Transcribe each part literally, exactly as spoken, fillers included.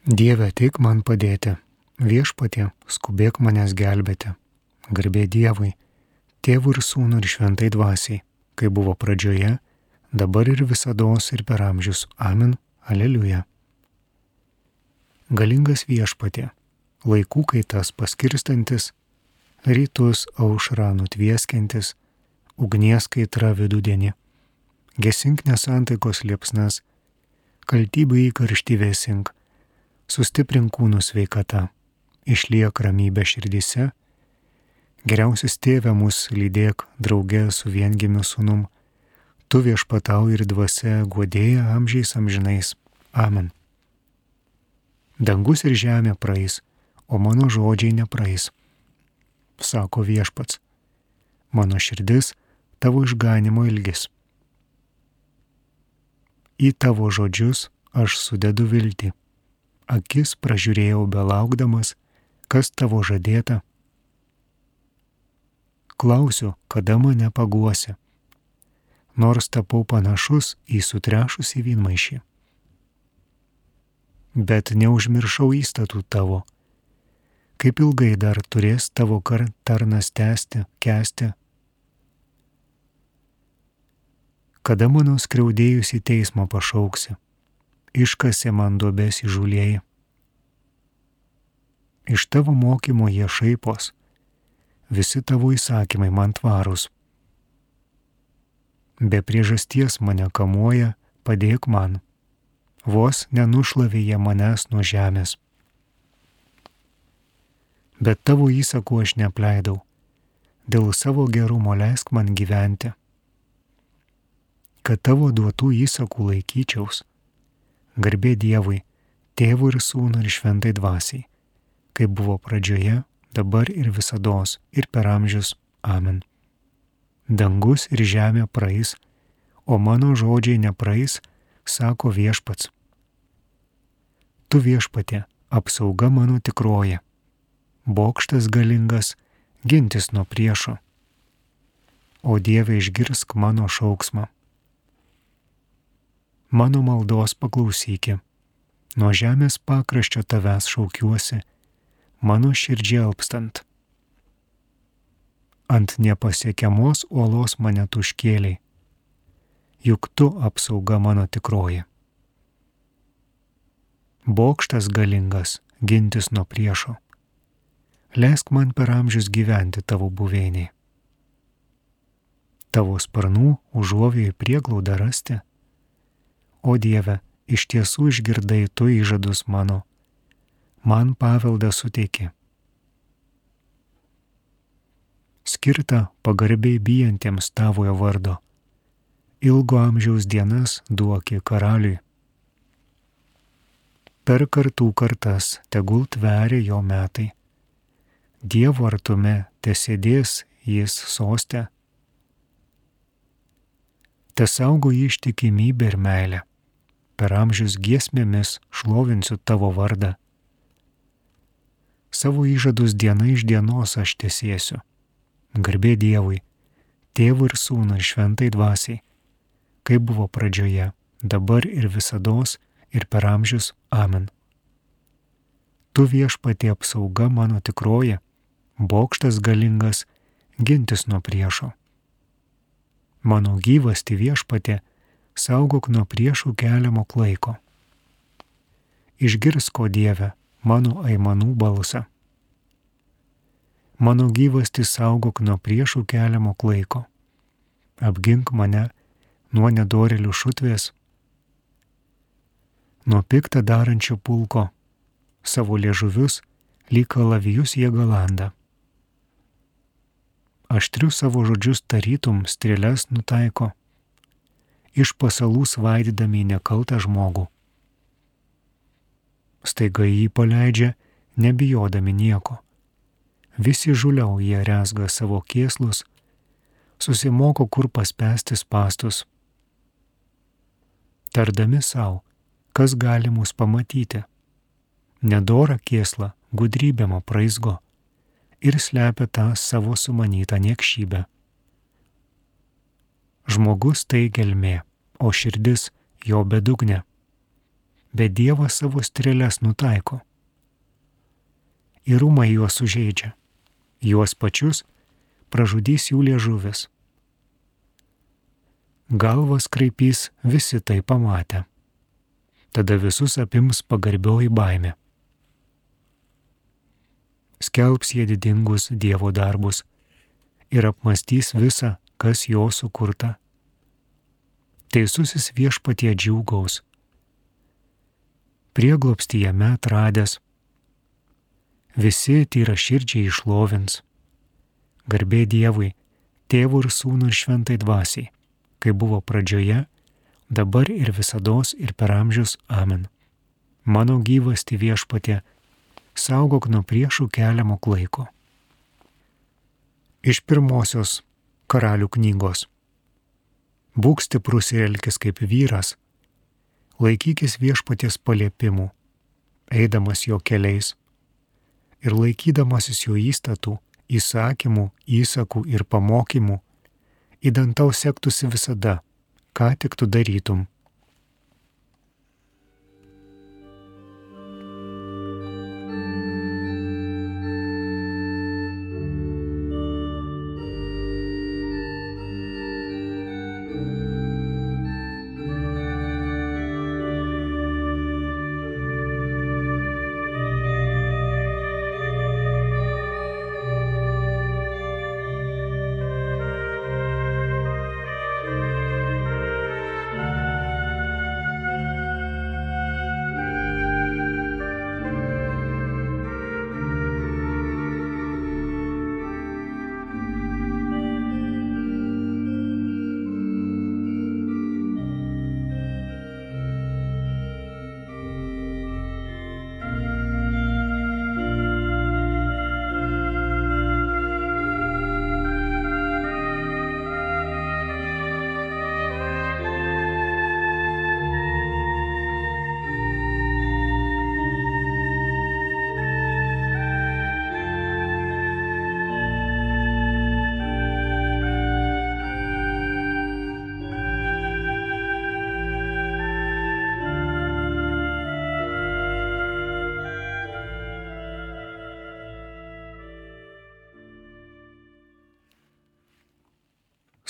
Dieve, ateik man padėti, viešpatie, skubėk manęs gelbėti. Garbė Dievui, Tėvui ir Sūnui ir Šventai Dvasiai, kai buvo pradžioje, dabar ir visados ir per amžius. Amen. Aleliuja. Galingas viešpatie, laikų kaitas paskirstantis, rytus aušrą nutvieskiantis, ugnies kaitra vidudienį, gesink nesantaikos liepsnas, kaltybę į karštį vėsink, sustiprink kūnų sveikata, išliek ramybė širdyse, geriausias Tėve mus lydėk drauge su viengimiu sūnum, tu viešpatau ir dvasia guodėja amžiais amžinais. Amen. Dangus ir žemė praeis, o mano žodžiai nepraeis, sako viešpats, mano širdis tavo išganimo ilgis. Į tavo žodžius aš sudedu viltį. Akis pražiūrėjau belaukdamas, kas tavo žadėta. Klausiu, kada mane paguosi, nors tapau panašus į sutrešusį vynmaišį. Bet neužmiršau įstatų tavo, kaip ilgai dar turės tavo tarnas tęsti, kęsti. Kada mano skriaudėjus į teismą pašauksi, iškasė man duobės įžūlieji. Iš tavo mokymo jie šaipos, visi tavo įsakymai man tvarūs. Be priežasties mane kamuoja, padėk man, vos nenušlavė jie manęs nuo žemės. Bet tavo įsakų aš neapleidau, dėl savo gerumo leisk man gyventi, kad tavo duotų įsakų laikyčiaus. Garbė Dievui, Tėvui ir Sūnui ir Šventai Dvasiai, kaip buvo pradžioje, dabar ir visados, ir per amžius. Amen. Dangus ir žemė praeis, o mano žodžiai nepraeis, sako viešpats. Tu viešpatie, apsauga mano tikroji, bokštas galingas, gintis nuo priešo. O Dieve, išgirsk mano šauksmą. Mano maldos paklausyki, nuo žemės pakraščio tavęs šaukiuosi, mano širdžiai alpstant. Ant nepasiekiamos uolos mane tu užkėlei, juk tu apsauga mano tikroji. Bokštas galingas, gintis nuo priešo, leisk man per amžius gyventi tavo buveinėje. Tavo sparnų užuovėjai prieglaudą rasti. O Dieve, iš tiesų išgirdai tu įžadus mano, man paveldą suteiki. Skirta pagarbiai bijantiems tavojo vardo, ilgo amžiaus dienas duoki karaliui. Per kartų kartas tegul tveria jo metai, Dievo artume tesėdės jis soste, tesaugo jį ištikimybė ir meilė. Per amžius giesmėmis šlovinsiu tavo vardą. Savo įžadus diena iš dienos aš tesėsiu. Garbė Dievui, Tėvui ir Sūnui ir Šventai Dvasiai, kaip buvo pradžioje, dabar ir visados, ir per amžius. Amen. Tu viešpatie apsauga mano tikroji, bokštas galingas, gintis nuo priešo. Mano gyvasti viešpatie, saugok nuo priešų keliamo klaiko. Išgirsk, o Dieve, mano aimanų balsą. Mano gyvasti saugok nuo priešų keliamo klaiko. Apgink mane nuo nedorėlių šutvės, nuo piktą darančio pulko, savo liežuvius lyg kalavijus jie galanda. Aštriu savo žodžius tarytum strėles nutaiko, iš pasalų svaidydami nekaltą žmogų. Staiga jį paleidžia, nebijodami nieko. Visi žuliau jie rezga savo kėslus, susimoko kur paspęsti spąstus. Tardami savo, kas gali mus pamatyti. Nedora kėsla gudrybėmo praizgo ir slepia tą savo sumanytą niekšybę. Žmogus tai gelmė, o širdis jo bedugnė. bet Dievas savo strėles nutaiko. Įrumai juos sužeidžia, juos pačius pražudys jų liežuvis. Galvas kraipys visi tai pamatę. Tada visus apims pagarbioji baimė. Skelbs jie didingus Dievo darbus ir apmastys visą, kas jo sukurta. Teisusis Viešpatie džiūgaus, prieglobstį jame atradęs, visi tyraširdžiai išlovins. Garbė Dievui, Tėvui ir Sūnui ir Šventai Dvasiai, kaip buvo pradžioje, dabar ir visados ir per amžius. Amen. Mano gyvasti Viešpatie, saugok nuo priešų keliamo klaiko. Iš pirmosios Karalių knygos. Būk stiprus ir elkis kaip vyras, laikykis Viešpaties paliepimų, eidamas jo keliais ir laikydamasis jo įstatų, įsakymų, įsakų ir pamokymų, idant tau sektųsi visada, ką tik tu darytum.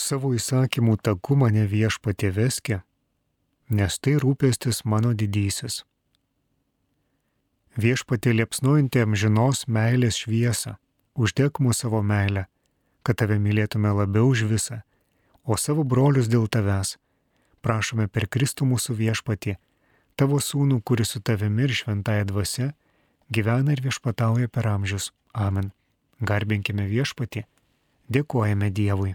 Savo įsakymų taku mane Viešpatie veski, nes tai rūpestis mano didysis. Viešpatie liepsnojanti amžinos meilės šviesą, uždek mūsų savo meilę, kad tave mylėtume labiau už visą, o savo brolius dėl tavęs prašome per Kristų mūsų Viešpatį, tavo sūnų, kuris su tavimi ir šventąja dvasia gyvena ir viešpatauja per amžius. Amen. Garbinkime Viešpatį, dėkojame Dievui.